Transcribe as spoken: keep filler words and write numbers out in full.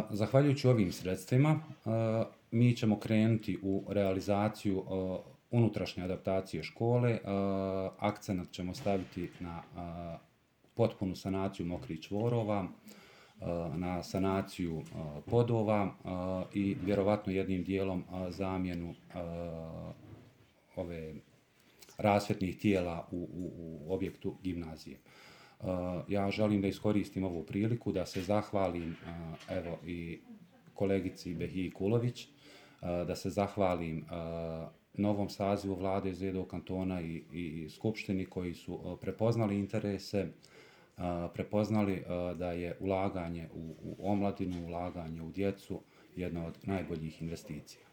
Zahvaljujući ovim sredstvima, mi ćemo krenuti u realizaciju unutrašnje adaptacije škole. Akcenat ćemo staviti na potpunu sanaciju mokrih čvorova, na sanaciju podova i vjerovatno jednim dijelom zamjenu ove rasvjetnih tijela u, u, u objektu gimnazije. Ja želim da iskoristim ovu priliku da se zahvalim evo i kolegici Behiji Kulović, da se zahvalim novom sazivu vlade Zedo kantona i, i skupštini koji su prepoznali interese, prepoznali da je ulaganje u, u omladinu, ulaganje u djecu jedna od najboljih investicija.